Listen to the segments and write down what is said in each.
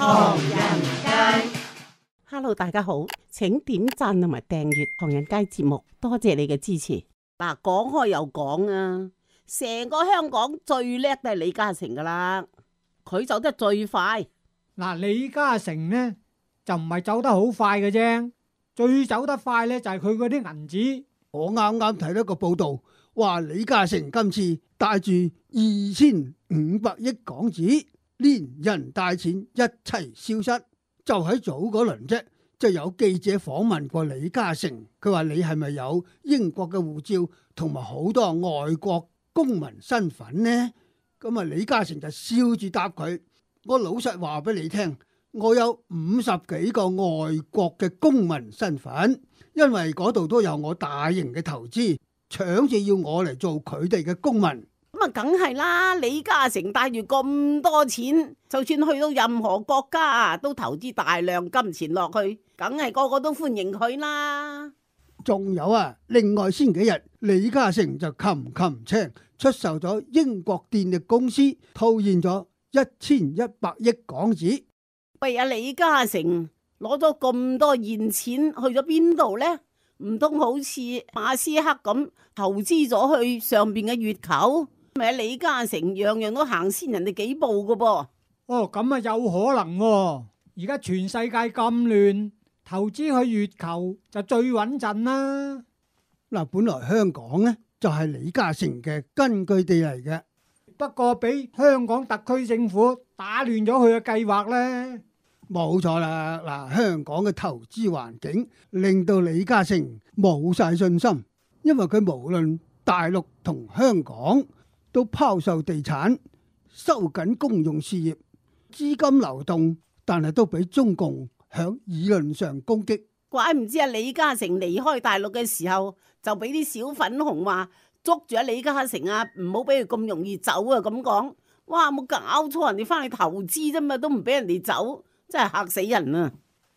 唐人街，Hello， 大家好，請點讚同埋訂閱唐人街節目，多謝你嘅支持。嗱，講開又講啊，成個香港最叻都係李嘉誠噶啦，佢走得最快。嗱，李嘉誠呢就唔係走得好快嘅啫，最走得快呢就係佢嗰啲銀紙。我啱啱睇到一個報道，話李嘉誠今次帶住2500億港紙，連人帶錢一齊消失。就喺早嗰輪啫，就有記者訪問過李嘉誠，佢話你係咪有英國嘅護照同埋好多外國公民身份呢？咁啊，李嘉誠就笑住答佢：我老實話俾你聽，我有50幾個外國嘅公民身份，因為嗰度都有我大型嘅投資，搶住要我嚟做佢哋嘅公民。咁啊，梗係啦！李嘉誠帶住咁多錢，就算去到任何國家都投資大量金錢落去，梗係個個都歡迎佢啦。仲有啊，另外先幾日李嘉誠就擒青出售咗英國電力公司，套現咗1100億港紙。喂，阿李嘉誠攞咗咁多現錢去咗邊度呢？唔通好似馬斯克咁投資咗去上邊嘅月球？咪李嘉誠樣樣都行先人哋幾步噶噃。哦，咁啊有可能喎。而家全世界咁亂，投資去月球就最穩陣啦。嗱，本來香港呢就係李嘉誠嘅根據地嚟嘅，不過俾香港特區政府打亂咗佢嘅計劃呢。冇錯啦。嗱，香港嘅投資環境令到李嘉誠冇晒信心，因為佢無論大陸同香港都拋售地產，收緊公用事業，資金流動，但係都俾中共響議論上攻擊。怪唔知啊！李嘉誠離開大陸嘅時候，就俾啲小粉紅話捉住阿李嘉誠啊，唔好俾佢咁容易走啊！咁講，哇，冇搞錯，人哋翻去投資啫嘛，都唔俾人哋走，真係嚇死人啊！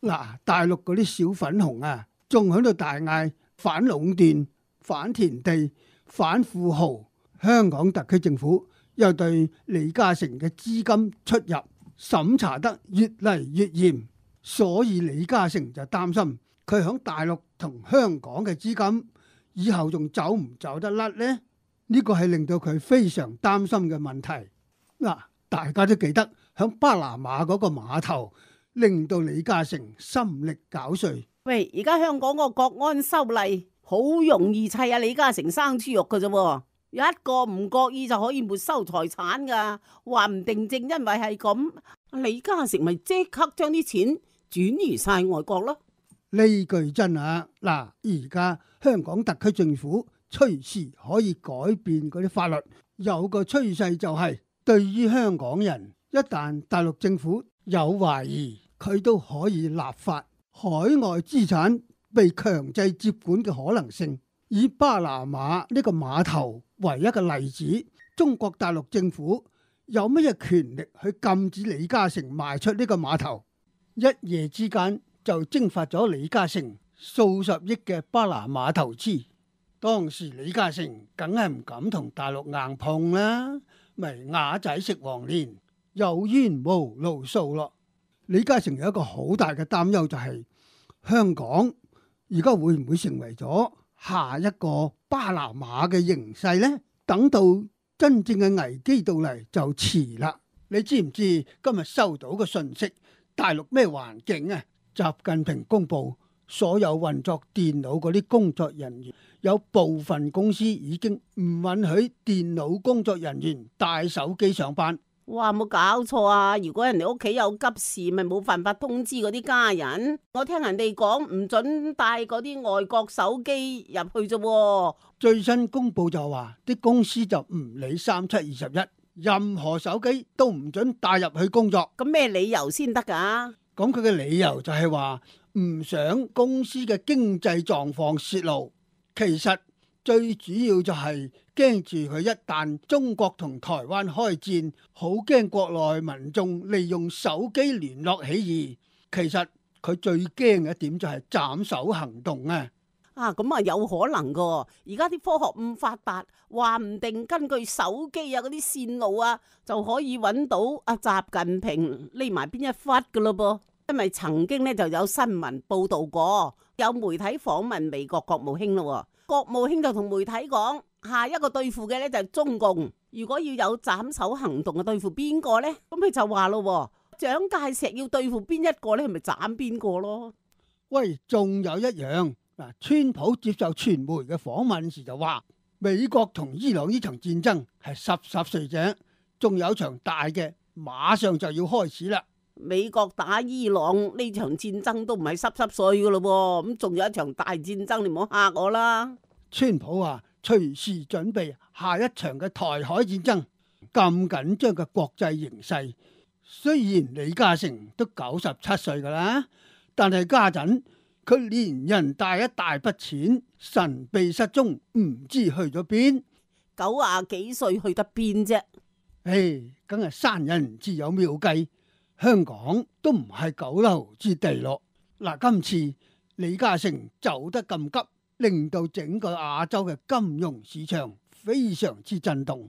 嗱，大陸嗰啲小粉紅啊，仲喺度大嗌反壟斷、反田地、反富豪。香港特區政府又對李嘉誠嘅資金出入審查得越嚟越嚴，所以李嘉誠就擔心佢響大陸同香港嘅資金以後仲走唔走得甩呢？呢個係令到佢非常擔心嘅問題。嗱，大家都記得響巴拿馬嗰個碼頭，令到李嘉誠心力交瘁。喂，而家香港個國安修例好容易砌阿李嘉誠生豬肉噶啫。有一個唔覺意就可以沒收財產噶，話唔定正因為係咁，李嘉誠咪即刻將啲錢轉移晒外國咯。呢句真啊！嗱，而家香港特區政府隨時可以改變嗰啲法律，有個趨勢就係對於香港人，一旦大陸政府有懷疑，佢都可以立法海外資產被強制接管嘅可能性。以巴拿馬呢個碼頭為一個例子，中國大陸政府有乜嘢權力去禁止李嘉誠賣出呢個碼頭？一夜之間就蒸發咗李嘉誠數十億嘅巴拿馬投資。當時李嘉誠梗係唔敢同大陸硬碰啦，咪啞仔食黃連，有冤無路訴咯。李嘉誠有一個好大嘅擔憂，就係香港而家會唔會成為咗下一個巴拿馬嘅形勢呢？等到真正嘅危機到嚟就遲啦。你知唔知今日收到個訊息？大陸咩環境啊？習近平公布所有運作電腦嗰啲工作人員，有部分公司已經唔允許電腦工作人員帶手機上班。哇，冇搞錯啊！如果人哋屋企有急事，咪冇辦法通知嗰啲家人。我聽人哋講唔准帶嗰啲外國手機入去啫。最新公布就話啲公司就唔理3721，任何手機都唔准帶入去工作。咁咩理由先得噶？咁佢嘅理由就係話唔想公司嘅經濟狀況泄露。其實最主要就係驚住佢一旦中國同台灣開戰，好驚國內民眾利用手機聯絡起義。其實佢最驚嘅一點就係斬首行動啊！咁啊有可能噶。而家啲科學咁發達，話唔定根據手機啊嗰啲線路啊，就可以揾到阿習近平匿埋邊一忽噶咯噃。因為曾經呢就有新聞報道過，有媒體訪問美國國務卿咯，國務卿就同媒體講，下一個對付嘅呢就係中共，如果要有斬首行動嘅對付邊個呢？咁佢就話咯，蔣介石要對付邊一個呢？係咪斬邊個咯？喂，仲有一樣嗱，川普接受傳媒嘅訪問時就話，美國同伊朗呢場戰爭係濕碎者，仲有場大嘅馬上就要開始啦。美國打伊朗呢場戰爭都唔係濕碎噶咯，咁仲有一場大戰爭，你唔好嚇我啦。川普話隨時準備下一場嘅台海戰爭，咁緊張嘅國際形勢，雖然李嘉誠都97歲噶啦，但係家陣佢連人帶一大筆錢神秘失蹤，唔知去咗邊。 90幾歲去得邊啫？唉，梗係生人自有妙計，香港都唔係九流之地咯。嗱，今次李嘉誠走得咁急，令到整個亞洲嘅金融市場非常之震動。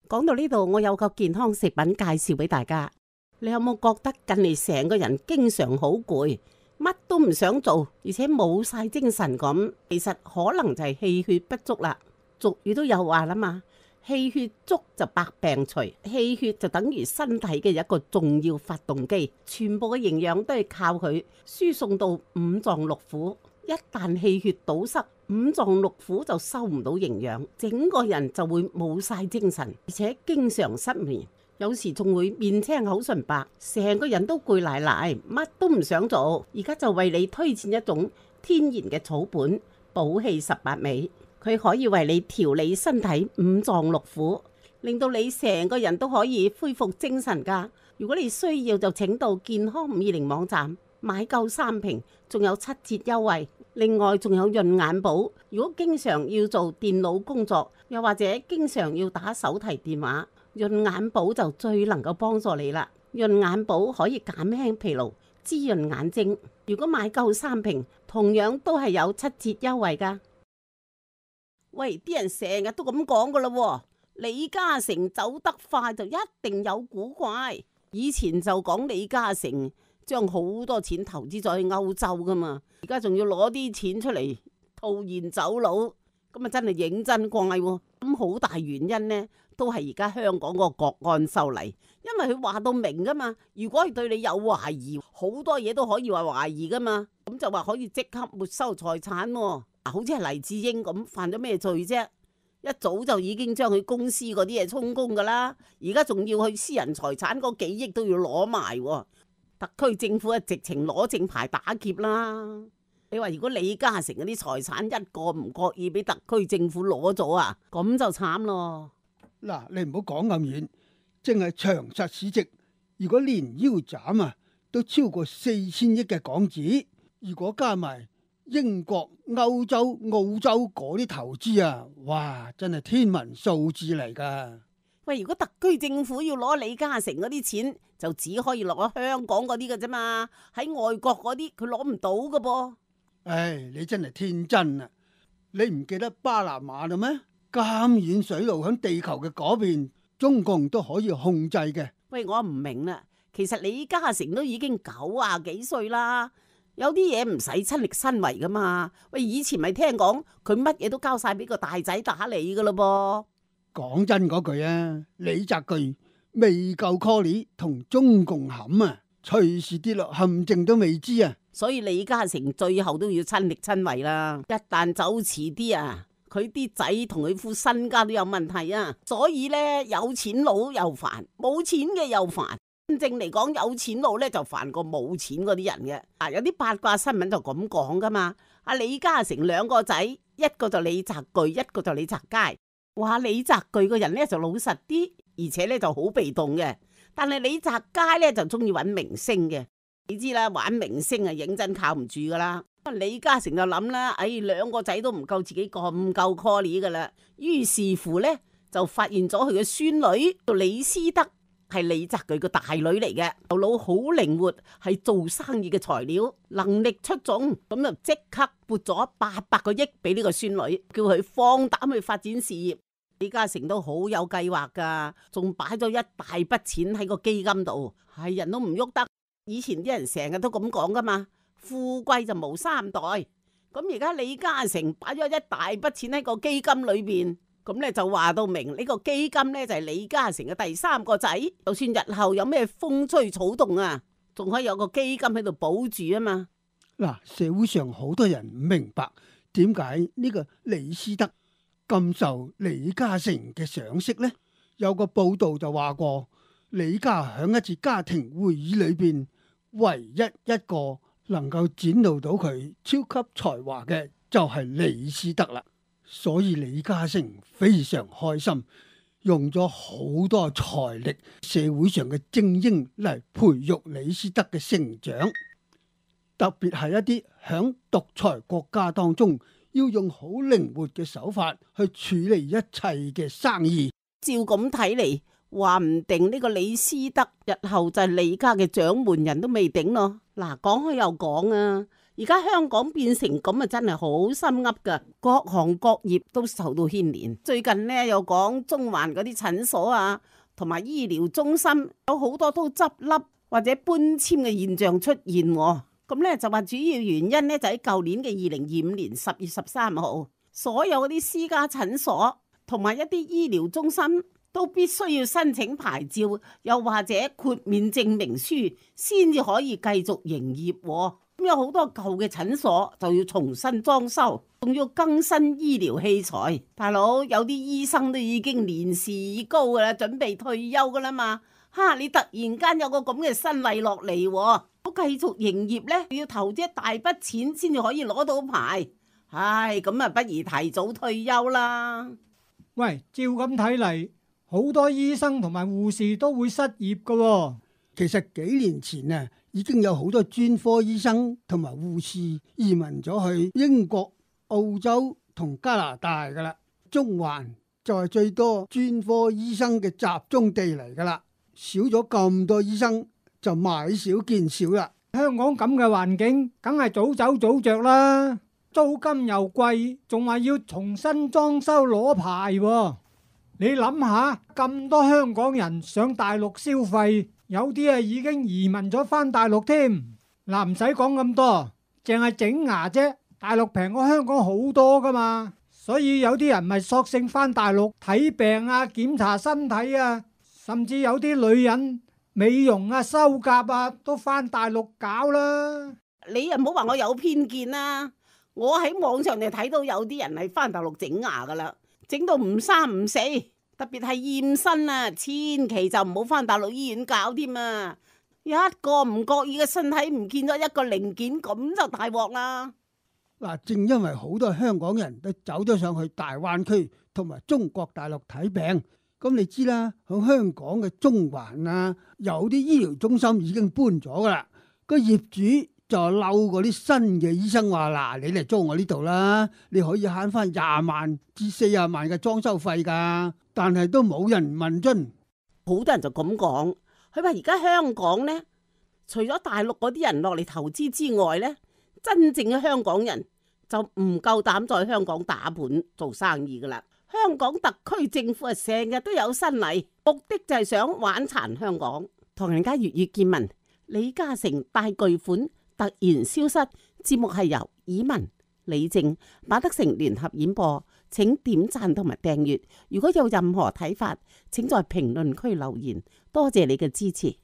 講到呢度，我有個健康食品介紹俾大家。你有冇覺得近嚟成個人經常好攰，乜都唔想做，而且冇晒精神咁？其實可能就係氣血不足啦。俗語都有話啦嘛，氣血足就百病除，氣血就等於身體嘅一個重要發動機，全部嘅營養都係靠佢輸送到五臟六腑。一旦氣血堵塞，五臟六腑就收唔到營養，整個人就會冇晒精神，而且經常失眠，有時仲會面青口唇白，成個人都攰賴賴，乜都唔想做。而家就為你推薦一種天然嘅草本補氣18味，佢可以為你調理身體五臟六腑，令到你成個人都可以恢復精神噶。如果你需要就請到健康520網站買夠3瓶，仲有7折優惠。另外仲有潤眼寶，如果經常要做電腦工作，又或者經常要打手提電話，潤眼寶就最能夠幫助你啦。潤眼寶可以減輕疲勞，滋潤眼睛。如果買夠3瓶，同樣都係有7折優惠噶。喂，啲人成日都咁講噶啦，李嘉誠走得快就一定有古怪。以前就講李嘉誠將好多錢投資咗去歐洲噶嘛，而家仲要攞啲錢出嚟套現走佬，咁啊真係認真怪喎。咁好大原因呢，都係而家香港個國安修例，因為佢話到明噶嘛，如果係對你有懷疑，好多嘢都可以話懷疑噶嘛，咁就話可以即刻沒收財產喎。好似係黎智英咁犯咗咩罪啫？一早就已經將佢公司嗰啲嘢充公噶啦，而家仲要去私人財產嗰幾億都要攞埋喎。特區政府啊，直情攞正牌打劫啦！你話如果李嘉誠嗰啲財產一個唔覺意俾特區政府攞咗啊，咁就慘咯。嗱，你唔好講咁遠，淨係長實市值，如果連腰斬啊，都超過4000億嘅港紙。如果加埋英國、歐洲、澳洲嗰啲投資啊，哇，真係天文數字嚟噶。喂，如果特區政府要攞李嘉誠嗰啲錢，就只可以攞香港嗰啲嘅啫嘛，喺外國嗰啲佢攞唔到噶噃。唉，你真係天真啊！你唔記得巴拿馬啦咩？咁遠水路響地球嘅嗰邊，中共都可以控制嘅。喂，我唔明啦，其實李嘉誠都已經90幾歲啦，有啲嘢唔使親力親為噶嘛。喂，以前咪聽講佢乜嘢都交晒俾個大仔打理噶咯噃。講真嗰句啊，李澤鉅未夠 call 同中共冚啊，隨時跌落陷阱都未知啊！所以李嘉誠最後都要親力親為啦。一旦走遲啲啊，佢啲仔同佢副身家都有問題啊。所以呢，有錢佬又煩，冇錢嘅又煩。真正嚟講，有錢佬呢就煩過冇錢嗰啲人嘅。有啲八卦新聞就咁講噶嘛。阿李嘉誠2個仔，一個就李澤鉅，一個就李澤楷。話李澤鉅個人咧就老實啲，而且咧就好被動嘅。但係李澤楷咧就中意揾明星嘅，你知啦，玩明星啊認真靠唔住噶啦。李嘉誠就諗啦，2個仔都唔夠自己咁夠 call 噶啦。於是乎咧就發現咗佢嘅孫女叫李思德，係李澤鉅個大女嚟嘅，頭腦好靈活，係做生意嘅材料，能力出眾，咁就即刻撥咗800個億俾呢個孫女，叫佢放膽去發展事業。李嘉誠都好有計劃噶，仲擺咗一大筆錢喺個基金度，係人都唔喐得。以前啲人成日都咁講噶嘛，富貴就無三代。咁而家李嘉誠擺咗一大筆錢喺個基金裏邊，咁咧就話到明呢個基金咧就係李嘉誠嘅第3個仔，就算日後有咩風吹草動啊，仲可以有個基金喺度保住啊嘛。嗱，社會上好多人唔明白點解呢個李思德咁受李嘉誠嘅賞識呢？有個報道就話過，李家響一次家庭會議裏邊，唯一一個能夠展露到佢超級才華嘅就係李思德啦。所以李嘉誠非常開心，用咗好多財力，社會上嘅精英嚟培育李思德嘅成長，特別係一啲響獨裁國家當中，要用好靈活嘅手法去處理一切嘅生意。照咁睇嚟，話唔定呢個李思德日後就係李家嘅掌門人都未定咯。嗱，講開又講啊，而家香港變成咁啊，真係好心噏噶，各行各業都受到牽連。最近呢，又講中環嗰啲診所啊，同埋醫療中心有好多都執笠或者搬遷嘅現象出現。咁咧就話主要原因咧就喺舊年嘅2025年10月13號，所有嗰啲私家診所同埋一啲醫療中心都必須要申請牌照，又或者豁免證明書，先至可以繼續營業。咁有好多舊嘅診所就要重新裝修，仲要更新醫療器材。大佬，有啲醫生都已經年事已高噶啦，準備退休噶啦嘛。你突然間有個咁嘅新例落嚟，我繼續營業呢，要投資一大筆錢先至可以攞到牌。咁啊，不如提早退休啦。喂，照咁睇嚟，好多醫生同埋護士都會失業噶喎。其實幾年前啊，已經有好多專科醫生同埋護士移民咗去英國、澳洲同加拿大噶啦。中環就係最多專科醫生嘅集中地嚟噶啦。少咗咁多醫生，就買少見少啦。香港咁嘅環境，梗係早走早着啦。租金又貴，仲話要重新裝修攞牌喎。你諗下，咁多香港人上大陸消費，有啲啊已經移民咗返大陸添。嗱，唔使講咁多，淨係整牙啫，大陸平過香港好多噶嘛。所以有啲人咪索性返大陸睇病啊，檢查身體啊。甚至有啲女人美容啊、修甲啊都返大陸搞啦。你又唔好話我有偏見啦，我喺網上就睇到有啲人係返大陸整牙噶啦，整到唔三唔四，特別係驗身啊，千祈就唔好返大陸醫院搞添啊！一個唔覺意嘅身體唔見咗一個零件，咁就大鑊啦。嗱，正因為好多香港人都走咗上去大灣區同埋中國大陸睇病。咁你知啦，喺香港嘅中環啊，有啲醫療中心已經搬咗噶啦。個業主就嬲嗰啲新嘅醫生話：嗱，你嚟租我呢度啦，你可以慳翻20萬至40萬嘅裝修費噶。但係都冇人問津。好多人就咁講，佢話而家香港呢，除咗大陸嗰啲人落嚟投資之外呢，真正嘅香港人就唔夠膽在香港打盤做生意噶啦。香港特區政府成日都有新例，目的就係想玩殘香港。唐人街粵語見聞，李嘉誠大巨款突然消失。節目係由以文、李靜、馬德成聯合演播，請點讚同埋訂閱。如果有任何睇法，請在評論區留言。多謝你嘅支持。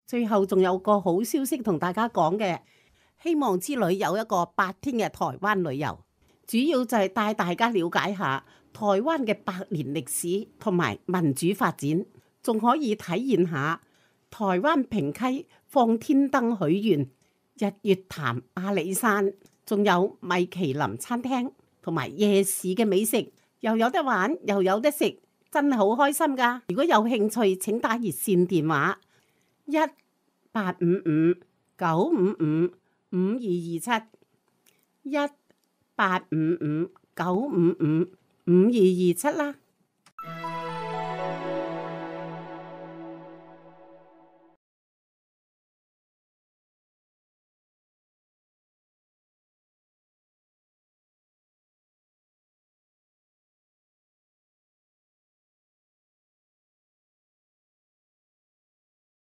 最後仲有個好消息同大家講嘅，希望之旅有一個8天嘅台灣旅遊。主要就係帶大家了解下台灣嘅100年歷史同埋民主發展，仲可以體驗下台灣平溪放天燈許願、日月潭阿里山，仲有米其林餐廳同埋夜市嘅美食，又有得玩又有得食，真係好開心㗎。如果有興趣，請打熱線電話1855-955-5227 1855-955-5227啦。